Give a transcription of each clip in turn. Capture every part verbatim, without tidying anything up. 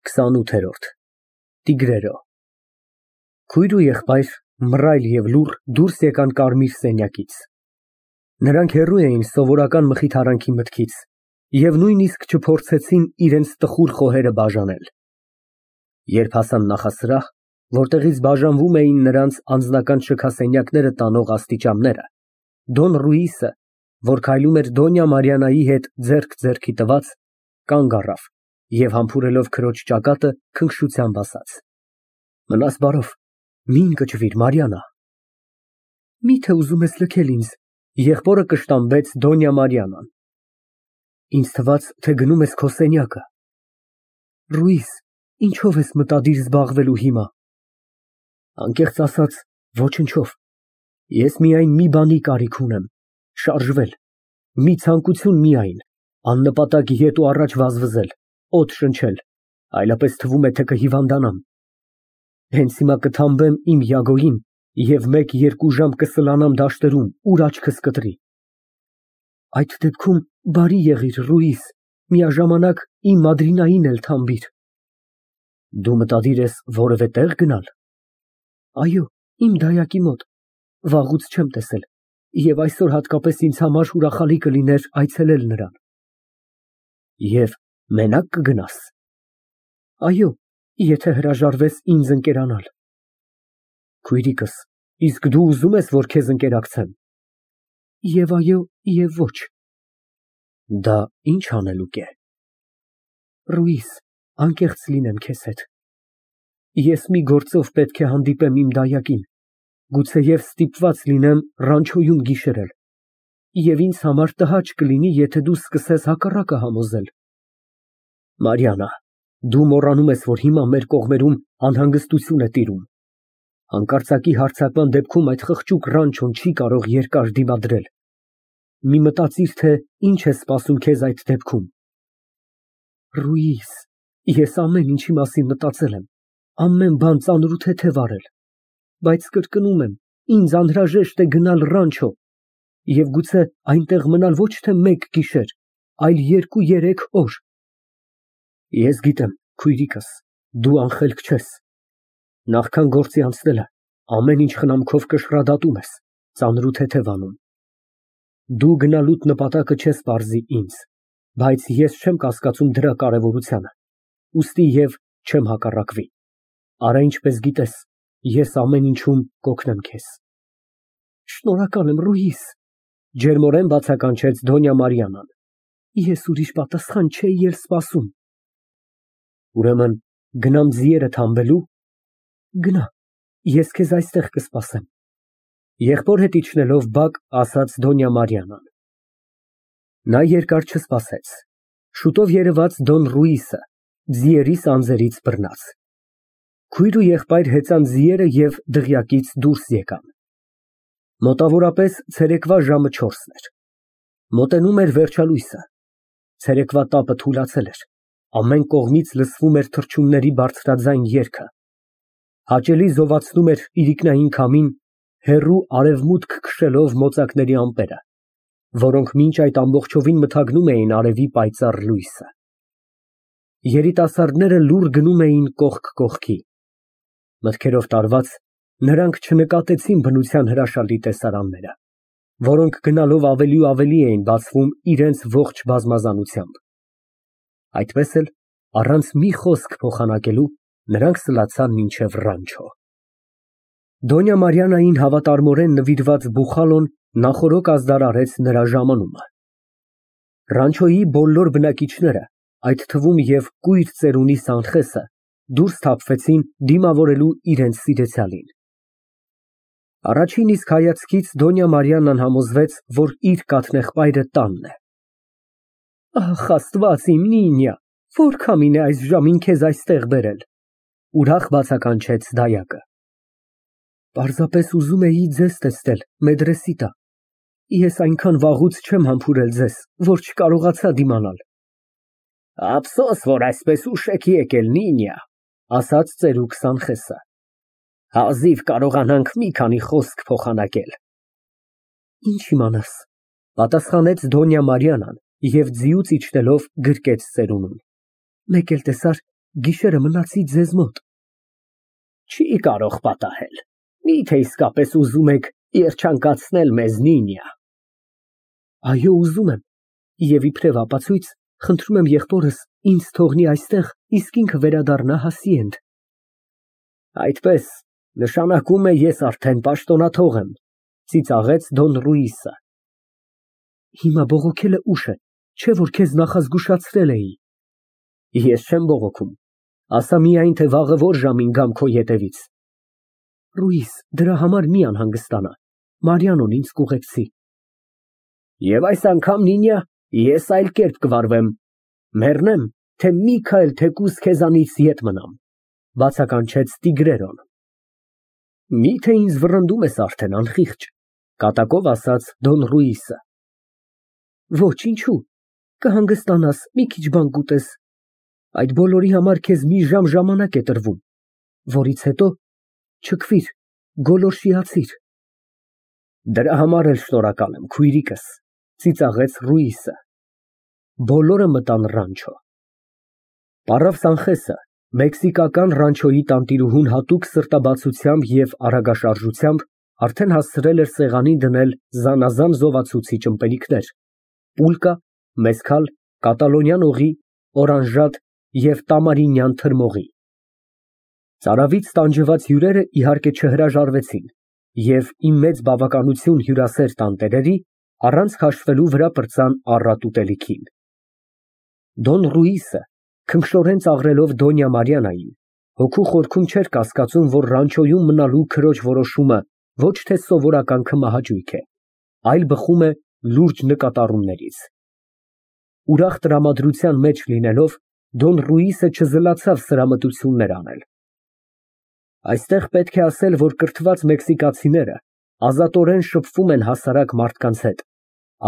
քսանութ Տիգրերո Քույր ու եղբայր մռայլ և լուռ դուրս եկան կարմիր սենյակից. նրանք հեռու էին սովորական մխիթարանքի մտքից և նույնիսկ չփորձեցին իրենց տխուր խոհերը բաժանել. երբ հասան նախասրահ, որտեղից բաժանվում էին նրանց անձնական շքասենյակները տանող աստիճանները, Դոն Ռուիսը, որ քայլում էր Դոնյա Մարիաննայի հետ ձեռք ձեռքի տված, կանգ առավ և համբուրելով քրոջ ճակատը, քնքշությամբ ասաց. Մնաս բարով, մի ընկճվիր, Մարիաննա։ Մի՞թե ուզում ես լքել ինձ, եղբորը կշտամբեց Դոնյա Մարիաննան։ Ինձ թվաց, թե գնում ես քո սենյակը։ Ռուիս, ինչով ես մտադիր զբաղվելու հիմա։ Անկեղծ ասած, ոչնչով։ Ես միայն մի բանի կարիք ունեմ, շարժվել, մի ցանկություն միայն, աննպատակ ետ ու առաջ վազվզել, օդ շնչել, այլապես թվում է, թե կհիվանդանամ։ Հենց հիմա կթամբեմ իմ Յագոյին և մեկ֊երկու ժամ կսլանամ դաշտերում, ուր աչքս կտրի։ Այդ դեպքում բարի եղիր, Ռուիս, միաժամանակ իմ Մադրինային էլ թամբիր։ Դու մտադիր ես որևէ տեղ գնալ։ Այո, իմ դայակի մոտ, վաղուց չեմ տեսել և այսօր հատկապես ինձ համար ուրախալի կլիներ այցելել նրան։ Եվ մենակ կգնա՞ս։ Այո, եթե հրաժարվես ինձ ընկերանալ։ Քույրիկս, իսկ դու ուզում ես, որ քեզ ընկերակցեմ։ Եվ այո, և ոչ։ Դա ի՞նչ անելուկ է։ Ռուիս, անկեղծ լինեմ քեզ հետ։ Ես մի գործով պետք է հանդիպեմ իմ դայակին, գուցեև ստիպված լինեմ Ռանչոյում գիշերել, և ինձ համար տհաճ կլինի, եթե դու սկսես հակառակը համոզել։ Մարիաննա, դու մոռանում ես, որ հիմա մեր կողմերում անհանգստություն է տիրում։ Հանկարծակի հարձակման դեպքում այդ խղճուկ Ռանչոն չի կարող երկար դիմադրել։ Մի մտածիր, թե ինչ է սպասում քեզ այդ դեպքում։ Ռուիս, ես ամեն ինչի մասին մտածել եմ, ամեն բան ծանրութեթև արել, բայց կրկնում եմ, ինձ անհրաժեշտ է գնալ Ռանչո և գուցե այնտեղ մնալ ոչ թե մեկ գիշեր, այլ երկու֊երեք օր։ Ես գիտեմ, քույրիկս, դու անխելք չես։ Նախքան գործի անցնելը ամեն ինչ խնամքով կշռադատում ես, ծանրութեթև անում։ Դու գնալուդ նպատակը չես պարզի ինձ, բայց ես չեմ կասկածում դրա կարևորությանը, ուստի և չեմ հակառակվի։ Արա ինչպես գիտես, ես ամեն ինչում կօգնեմ քեզ։ Շնորհակալ եմ, Ռուիս, ջերմորեն բացականչեց Դոնյա Մարիաննան։ Ես ուրիշ պատասխան չէի էլ սպասում։ Ուրեմն գնամ ձիերը թամբելու։ Գնա, ես քեզ այստեղ կսպասեմ։ Եղբոր հետ իջնելով բակ ասաց Դոնյա Մարիաննան։ Նա երկար չսպասեց։ Շուտով երևաց Դոն Ռուիսը, ձիերի սանձերից բռնած։ Քույր ու եղբայր հեծան ձիերը և դղյակից դուրս եկան։ Մոտավորապես ցերեկվա ժամը չորսն էր։ Մոտենում էր վերջալույսը։ Ցերեկվա տապը թուլացել էր, ամեն կողմից լսվում էր թռչունների բարձրաձայն երգը։ Հաճելի զովացնում էր իրիկնային քամին, հեռու արևմուտք քշելով մոծակների ամպերը, որոնք մինչ այդ ամբողջովին մթագնում էին արևի պայծառ լույսը։ Երիտասարդները լուռ գնում էին կողք կողքի։ Մտքերով տարված, նրանք չնկատեցին բնության հրաշալի տեսարանները, որոնք գնալով ավելի ու ավելի էին բացվում իրենց ողջ բազմազանությամբ։ Այդպես էլ, առանց մի խոսք փոխանակելու, նրանք սլացան մինչև Ռանչո։ Դոնյա Մարիաննային հավատարմորեն նվիրված բուխալոն նախօրոք ազդարարեց նրա ժամանումը։ Ռանչոյի բոլոր բնակիչները, այդ թվում և կույր ծերունի Սանխեսը, դուրս թափվեցին դիմավորելու իրենց սիրեցյալին։ Առաջին իսկ հայացքից Դոնյա Մարիաննան համոզվեց, որ իր կաթնեղբայրը տանն է։ Ախ, Աստված իմ, Նինյա, որ քամին է այս ժամին քեզ այստեղ բերել, ուրախ բացականչեց դայակը։ Պարզապես ուզում էի ձեզ տեսնել, Մեդրեսիտա, ես այնքան վաղուց չեմ համբուրել ձեզ, որ չկարողացա դիմանալ։ Ափսոս, որ այսպես ուշ եք եկել, Նինյա, ասաց ծերուկ Սանխեսը։ Հազիվ կարողանանք մի քանի խոսք փոխանակել։ Ինչ իմանաս, պատասխանեց Դոնյա Մարիաննան և ձիուց իջնելով գրկեց ծերունուն։ Մեկ էլ տեսար, գիշերը մնացի ձեզ մոտ։ Չի կարող պատահել։ Միթե իսկապես ուզում եք երջանկացնել մեզ, Նինիա։ Այո, ուզում եմ, և իբրև ապացույց խնդրում եմ եղբորս ինձ թողնի այստեղ, իսկ ինքը վերադառնա Հասիենդ։ Այդպես նշանակում է ես արդեն պաշտոնաթող եմ, ծիծաղեց Դոն Ռուիսը։ Հիմա բողոքելը ուշ է, չէ որ քեզ նախազգուշացրել էի։ Ես չեմ բողոքում, ասա միայն, թե վաղը որ ժամին գամ քո ետևից։ Ռուիս, դրա համար մի անհանգստանա, Մարիանոն ինձ կուղեկցի։ Եվ այս անգամ, Նինիա, ես այլ կերպ կվարվեմ, մեռնեմ, թե մի քայլ թեկուզ քեզանից ետ մնամ, բացականչեց Տիգրերոն։ Միթե ինձ վռնդում ես արդեն, անխիղճ, կատակով ասաց Դոն Ռուիսը։ Ոչ, ինչու, կհանգստանաս, մի քիչ բան կուտես, այդ բոլորի համար քեզ մի ժամ ժամանակ է տրվում, որից հետո չքվիր, գոլորշիացիր։ Դրա համար էլ շնորհակալ եմ, քույրիկս, ծիծաղեց Ռուիսը։ Բոլորը մտան ռանչո։ Պարավ Սանխեսը մեքսիկական ռանչոյի տանտիրուհուն հատուկ սրտաբացությամբ և արագաշարժությամբ արդեն հասցրել էր սեղանին դնել զանազան զովացուցիչ ըմպելիքներ, պուլկա, մեզքալ, կատալոնյան օղի, օրանժատ և տամարինյան թրմողի։ Ծարավից տանջված հյուրերը իհարկե չհրաժարվեցին և ի մեծ բավականություն հյուրասեր տանտերերի առանց քաշվելու վրա պրծան առատ ուտելիքին։ Դոն Ռուիսը, քնքշորեն ծաղրելով Դոնյա Մարիաննային, հոգու խորքում չէր կասկածում, որ ռանչոյում մնալու քրոջ որոշումը ոչ թե սովորական քմահաճույք է, այլ բխում է լուրջ նկատառումներից։ Ուրախ տրամադրության մեջ լինելով, Դոն Ռուիսը չզլացավ սրամտություններ անել։ Այստեղ պետք է ասել, որ կրթված մեքսիկացիները ազատորեն շփվում են հասարակ մարդկանց հետ,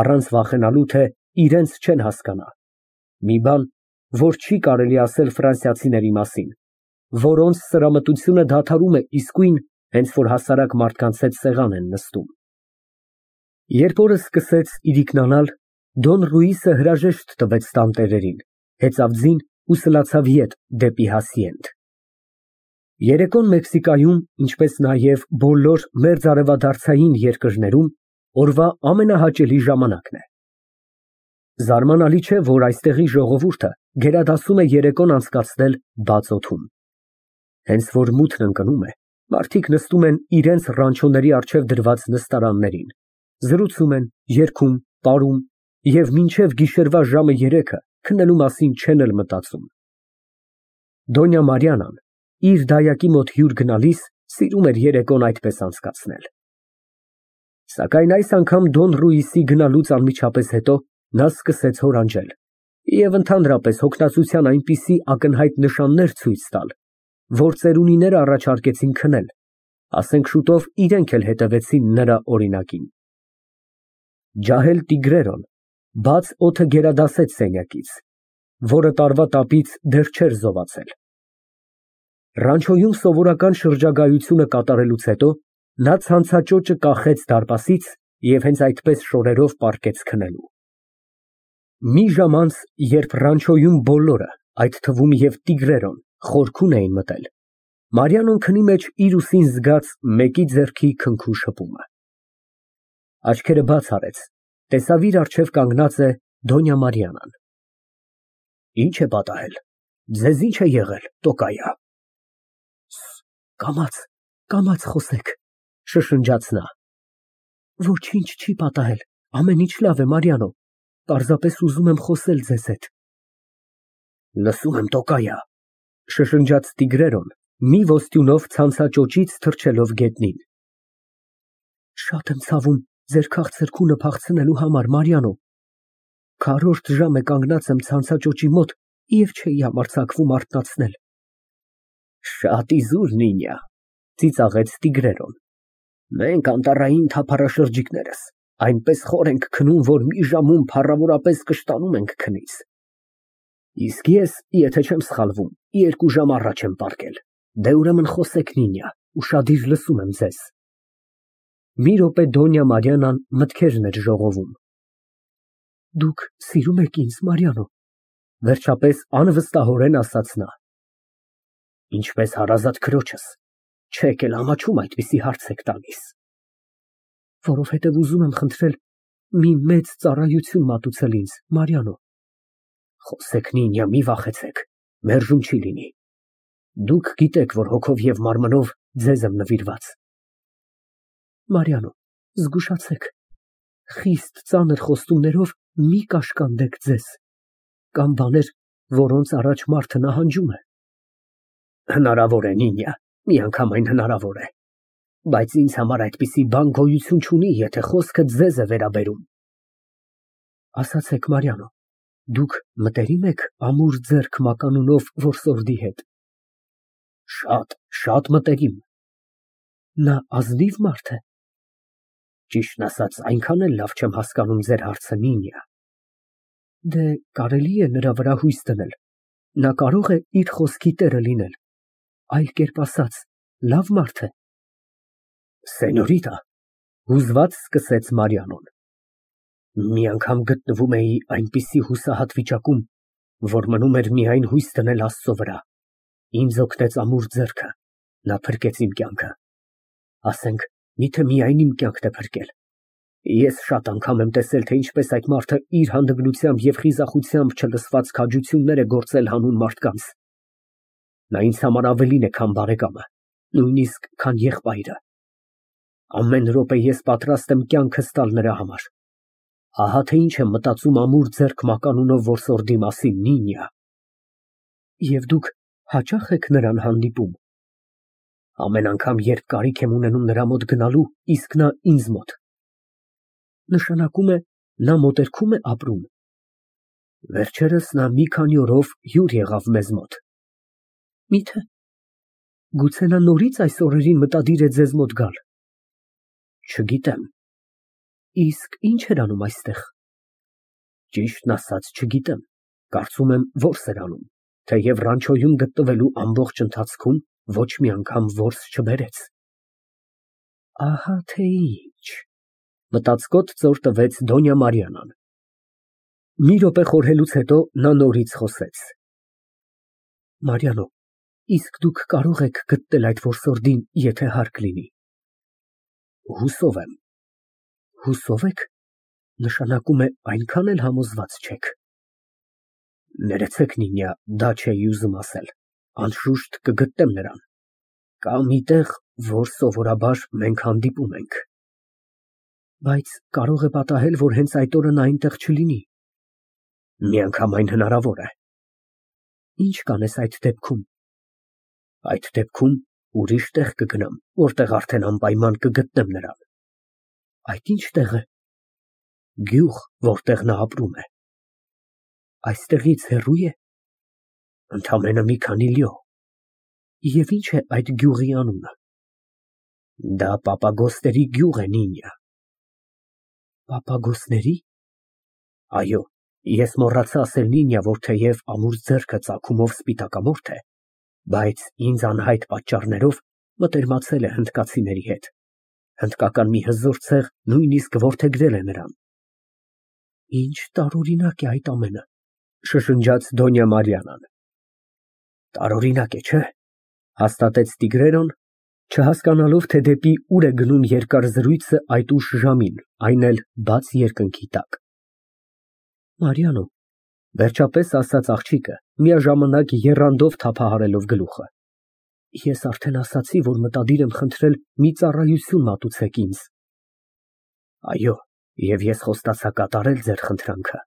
առանց վախենալու, թե իրենց չեն հասկանա, մի բան, որ չի կարելի ասել ֆրանսիացիների մասին, որոնց սրամտությունը դադարում է իսկույն, հենց որ հասարակ մարդկանց հետ սեղան են նստում։ Երբ օրը սկսեց իրիկնանալ, Դոն Ռուիսը հրաժեշտ տվեց տանտերերին, հեծավ ձին ու սլացավ ետ դեպի Հասիենդ։ Երեկոն Մեքսիկայում, ինչպես նաև բոլոր մերձարևադարձային երկրներում, օրվա ամենահաճելի ժամանակն է։ Զարմանալի չէ, որ այստեղի ժողովուրդը գերադասում է երեկոն անցկացնել բաց օդում։ Հենց որ մութն ընկնում է, մարդիկ նստում են իրենց ռանչոների առջև դրված նստարաններին, զրուցում են, երգում, պարում և մինչև գիշերվա ժամը երեքը քնելու մասին չեն էլ մտածում։ Դոնյա Մարիաննան իր դայակի մոտ հյուր գնալիս սիրում էր երեկոն այդպես անցկացնել։ Սակայն այս անգամ Դոն Ռուիսի գնալուց անմիջապես հետո նա սկսեց հորանջել և ընդհանրապես հոգնածության այնպիսի ակնհայտ նշաններ ցույց տալ, որ ծերունիները առաջարկեցին քնել, ասենք շուտով իրենք էլ հետևեցին նրա օրինակին։ Ջահել Տիգրերոն բաց օդը գերադասեց սենյակից, որը տարվա տապից դեռ չէր զովացել։ Ռանչոյում սովորական շրջագայությունը կատարելուց հետո նա ցանցաճոճը կախեց դարպասից և հենց այդպես շորերով պառկեց քնելու։ Մի ժամ անց, երբ ռանչոյում բոլորը, այդ թվում և Տիգրերոն, խորքուն էին մտել, Մարիանոն քնի մեջ իր ուսին զգաց մեկի ձեռքի քնքու շփումը։ Աչքերը բաց արեց, տեսավ իր առջև կանգնած է Դոնյա Մարիաննան։ Ի՞նչ է պատահել, ձեզ ի՞նչ է եղել, տոկայա։ Կամաց, կամաց խոսեք, շշնջաց նա։ Ոչինչ չի պատահել, ամեն ինչ լավ է, Մարիանո, պարզապես ուզում եմ խոսել ձեզ հետ։ Լսում եմ, տոկայա, շշնջաց Տիգրերոն, մի ոստյունով ցանցաճոճից թռչելով գետնին։ Շատ եմ ցավում ձեր քաղցր քունը փախցնելու համար, Մարիանո։ Քառորդ ժամ է կանգնած եմ ցանցաճոճի մոտ և չէի համարձակվում արթնացնել։ Շատ իզուր, Նինիա, ծիծաղեց Տիգրերոն։ Մենք անտառային թափառաշրջիկներս այնպես խոր ենք քնում, որ մի ժամում փառավորապես կշտանում ենք քնից։ Իսկ ես, եթե չեմ սխալվում, երկու ժամ առաջ եմ պառկել։ Դե ուրեմն խոսեք, Նինիա, ուշադիր լսում եմ ձեզ։ Մի րոպե Դոնյա Մարիաննան մտքերն էր ժողովում։ Դուք սիրում եք ինձ, Մարիանո, վերջապես անվստահորեն ասաց նա։ Ինչպես հարազատ քրոջս, չեք էլ ամաչում այդպիսի հարց եք տալիս։ Որովհետև ուզում եմ խնդրել մի մեծ ծառայություն մատուցել ինձ, Մարիանո։ Խոսեք, Նինիա, մի վախեցեք, մերժում չի լինի։ Դուք գիտեք, որ հոգով և մարմնով ձեզ եմ նվիրված։ Մարիանո, զգուշացեք, խիստ ծանր խոստումներով մի կաշկանդեք ձեզ, կամ բաներ, որոնց առաջ մարդը նահանջում է։ Հնարավոր է, Նինիա, միանգամայն հնարավոր է, բայց ինձ համար այդպիսի բան գոյություն չունի, եթե խոսքը ձեզ է վերաբերում։ Ասացեք, Մարիանո, դուք մտերիմ եք ամուր ձեռք մականունով որսորդի հետ։ Շատ, շատ մտերիմ։ Նա ազնիվ մարդ է։ Ճիշտն ասած, այնքան էլ լավ չեմ հասկանում ձեր հարցը, Նինիա։ Դե, կարելի է նրա վրա հույս դնել, նա կարող է իր խոսքի տերը լինել, այլ կերպ ասած, լավ մարդ է։ Սենյորիտա, հուզված սկսեց Մարիանոն, մի անգամ գտնվում էի այնպիսի հուսահատ վիճակում, որ մնում էր միայն հույս դնել Աստծո վրա, ինձ օգնեց ամուր ձեռքը, նա փրկեց իմ կյանքը, ասենք, միթե միայն իմ կյանքն է փրկել։ Ես շատ անգամ եմ տեսել, թե ինչպես այդ մարդը իր հանդգնությամբ և խիզախությամբ չլսված քաջություններ է գործել հանուն մարդկանց։ Նա ինձ համար ավելին է, քան բարեկամը, նույնիսկ քան եղբայրը։ Ամեն րոպե ես պատրաստ եմ կյանքս տալ նրա համար։ Ահա թե ինչ եմ մտածում ամուր ձեռք մականունով որսորդի մասին, Նինիա։ Եվ դուք հաճա՞խ եք նրան հանդիպում։ Ամեն անգամ, երբ կարիք եմ ունենում նրա մոտ գնալու, իսկ նա ինձ մոտ։ Նշանակում է, նա մոտերքում է ապրում։ Վերջերս նա մի քանի օրով հյուր եղավ մեզ մոտ։ Միթե, գուցե նա նորից այս օրերին մտադիր է ձեզ մոտ գալ։ Չգիտեմ։ Իսկ ինչ էր անում այստեղ։ Ճիշտն ասած, չգիտեմ, կարծում եմ որս էր անում, թեև Ռանչոյում գտնվելու ամբողջ ընթացքում ոչ մի անգամ որս չբերեց։ Ահա թե ինչ, մտածկոտ ծոր տվեց Դոնյա Մարիանան։ Մի րոպե խորհելուց հետո նա նորից խոսեց։ Մարիանո, իսկ դուք կարող եք գտնել այդ որսորդին, եթե հարկ լինի։ Հուսով եմ։ Հուսով եք, նշանակում է այնքան էլ համոզված չեք։ Ներեցեք, Նինիա, դա չէի ուզում ասել, անշուշտ կգտնեմ նրան։ Կա մի տեղ, որ սովորաբար մենք հանդիպում ենք։ Բայց կարող է պատահել, որ հենց այդ օրը նա այնտեղ չլինի։ Միանգամայն հնարավոր է։ Ինչ կանես այդ դեպքում։ Այդ դեպքում ուրիշ տեղ կգնամ, որտեղ արդեն անպայման կգտնեմ նրան։ Այդ ինչ տեղ է։ Գյուղ, որտեղ նա ապրում է։ Այստեղից հեռու է։ Ընդամենը մի քանի լյո։ Եվ ինչ է այդ գյուղի անունը։ Դա Պապագոսների գյուղ է, Նինիա։ Պապագոսների։ Այո, ես մոռացա ասել, Նինիա, որ թեև ամուր ձեռքը ծագումով սպիտակամորթ է, բայց ինձ անհայտ պատճառներով մտերմացել է հնդկացիների հետ։ Հնդկական մի հզոր ցեղ նույնիսկ որդեգրել է նրան։ Ինչ տարօրինակ է այդ ամենը, շշնջաց Դոնյա Մարիանան։ Տարօրինակ է, չէ՞, հաստատեց Տիգրերոն, չհասկանալով, թե դեպի ուր է գնում երկար զրույցը այդ ուշ ժամին, այն էլ բաց երկնքի տակ։ Մարիանո, վերջապես ասաց աղջիկը, միաժամանակ եռանդով թափահարելով գլուխը։ Ես արդեն ասացի, որ մտադիր եմ խնդրել մի ծառայություն մատուցեք ինձ։ Այո, և ես խոստացա կատարել ձեր խնդրանքը։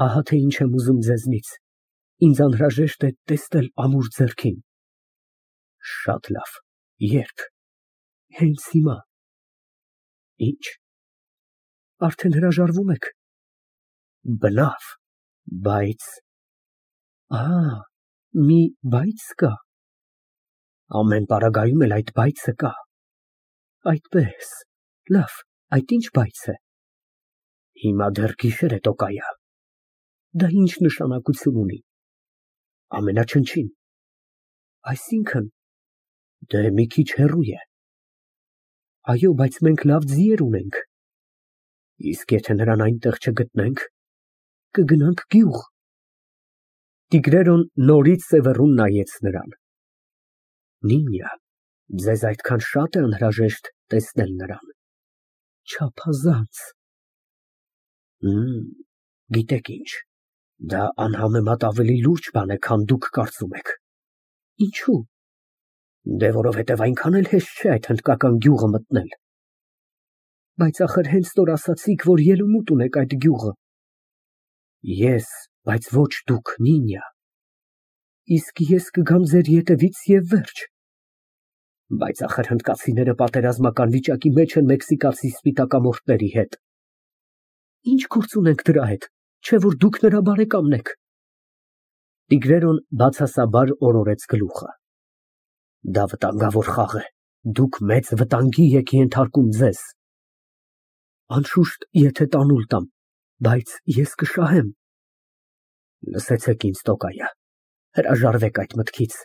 Ահա թե ինչ եմ ուզում ձեզնից, ինձ անհրաժեշտ է տեսնել ամուր ձեռքին։ Շատ լավ, երբ։ Հենց հիմա։ Ինչ։ Արդեն հրաժարվում եք։ Բնավ, բայց… Ահա, մի բայց կա։ Ամեն պարագայում էլ այդ բայցը կա։ Այդպես, լավ, այդ ինչ բայց է։ Հիմա դեռ գիշեր է, Տոկայա։ Դա ինչ նշանակություն ունի։ Ամենաչնչին։ Այսինքն, դե մի քիչ հեռու է։ Այո, բայց մենք լավ ձիեր ունենք։ Իսկ եթե նրան այնտեղ չգտնենք, կգնանք գյուղ։ Տիգրերոն նորից սևեռուն նայեց նրան։ Նինյա, ձեզ այդքան շատ է անհրաժեշտ տեսնել նրան։ Չափազանց։ Գիտեք ինչ, դա անհամեմատ ավելի լուրջ բան է, քան դուք կարծում եք։ Ինչու՞։ Դե որովհետև այնքան էլ հեշտ չէ այդ հնդկական գյուղը մտնել։ Բայց ախր հենց նոր ասացիք, որ ելումուտ ունեք այդ գյուղը։ Ես, բայց ոչ դուք, Նինյա։ Իսկ ես կգամ ձեր ետևից և վերջ։ Բայց ախր հնդկացիները պատերազմական վիճակի մեջ են մեքսիկացի սպիտակամորթների հետ։ Ինչ գործ ունենք դրա հետ, չէ որ դուք նրա բարեկամն եք։ Տիգրերոն բացասաբար օրորեց գլուխը։ Դա վտանգավոր խաղ է, դուք մեծ վտանգի եք ենթարկում ձեզ։ Անշուշտ, եթե տանուլ տամ, բայց ես կշահեմ։ Լսեցեք ինձ, տոկայա, հրաժարվեք այդ մտքից։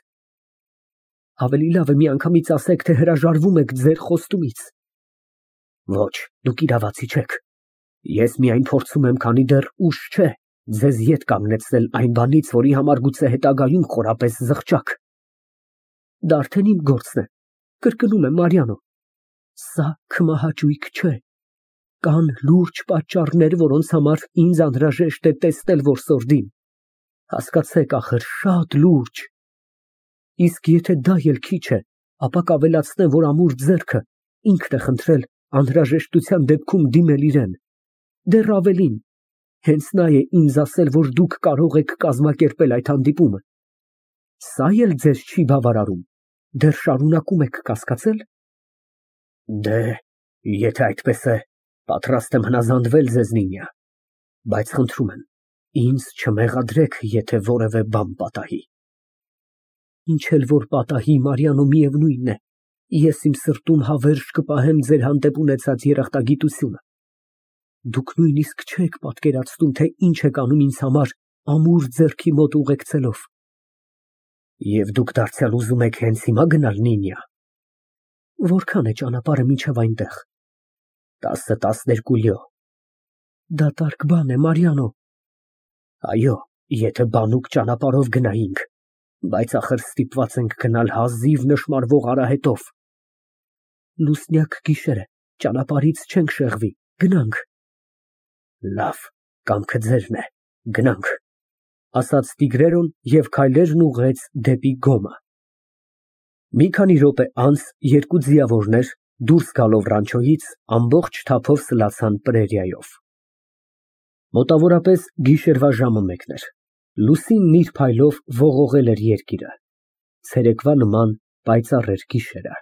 Ավելի լավ է միանգամից ասեք, թե հրաժարվում եք ձեր խոստումից։ Ոչ, դուք իրավացի չեք։ Ես միայն փորձում եմ, քանի դեռ ուշ չէ, ձեզ ետ կանգնեցնել այն բանից, որի համար գուցե հետագայում խորապես զղջաք։ Դա արդեն իմ գործն է, կրկնում եմ, Մարիանո, սա քմահաճույք չէ, կան լուրջ պատճառներ, որոնց համար ինձ անհրաժեշտ է տեսնել որսորդին, հասկացեք ախր, շատ լուրջ, իսկ եթե դա էլ քիչ է, ապա կավելացնեմ, որ ամուր ձեռքը ինքն է խնդրել անհրաժեշտության դեպքում դիմել իրեն, դեռ ավելին, հենց նա է ինձ ասել, որ դուք կարող եք կազմակերպել այդ հանդիպումը, սա էլ ձեզ չի բավարարում, դեռ շարունակում եք կասկածել։ Դե, եթե այդպես է, պատրաստ եմ հնազանդվել ձեզ, Նինյա, բայց խնդրում եմ, ինձ չմեղադրեք, եթե որևէ բան պատահի։ Ինչ էլ որ պատահի, Մարիանո, միևնույն է, ես իմ սրտում հավերժ կպահեմ ձեր հանդեպ ունեցած երախտագիտությունը։ Դուք նույնիսկ չեք պատկերացնում, թե ինչ եք անում ինձ համար ամուր ձեռքի մոտ ուղեկցելով։ Եվ դուք դարձյալ ուզում եք հենց հիմա գնալ, Նինյա։ Որքան է ճանապարհը մինչև այնտեղ։ Տասը տասներկու լյո։ Դատարկ բան է, Մարիանո։ Այո, եթե բանուկ ճանապարհով գնայինք, բայց ախր ստիպված ենք գնալ հազիվ նշմարվող արահետով։ Լուսնյակ գիշեր է, ճանապարհից չենք շեղվի, գնանք։ Լավ, կամքը ձերն է, գնանք, ասաց Տիգրերոն և քայլերն ուղղեց դեպի գոմը։ Մի քանի րոպե անց երկու ձիավորներ, դուրս գալով ռանչոյից, ամբողջ թափով սլացան պրերիայով։ Մոտավորապես գիշերվա ժամը մեկն էր, լուսինն իր փայլով ողողել էր երկիրը, ցերեկվա նման պայծառ էր գիշերը։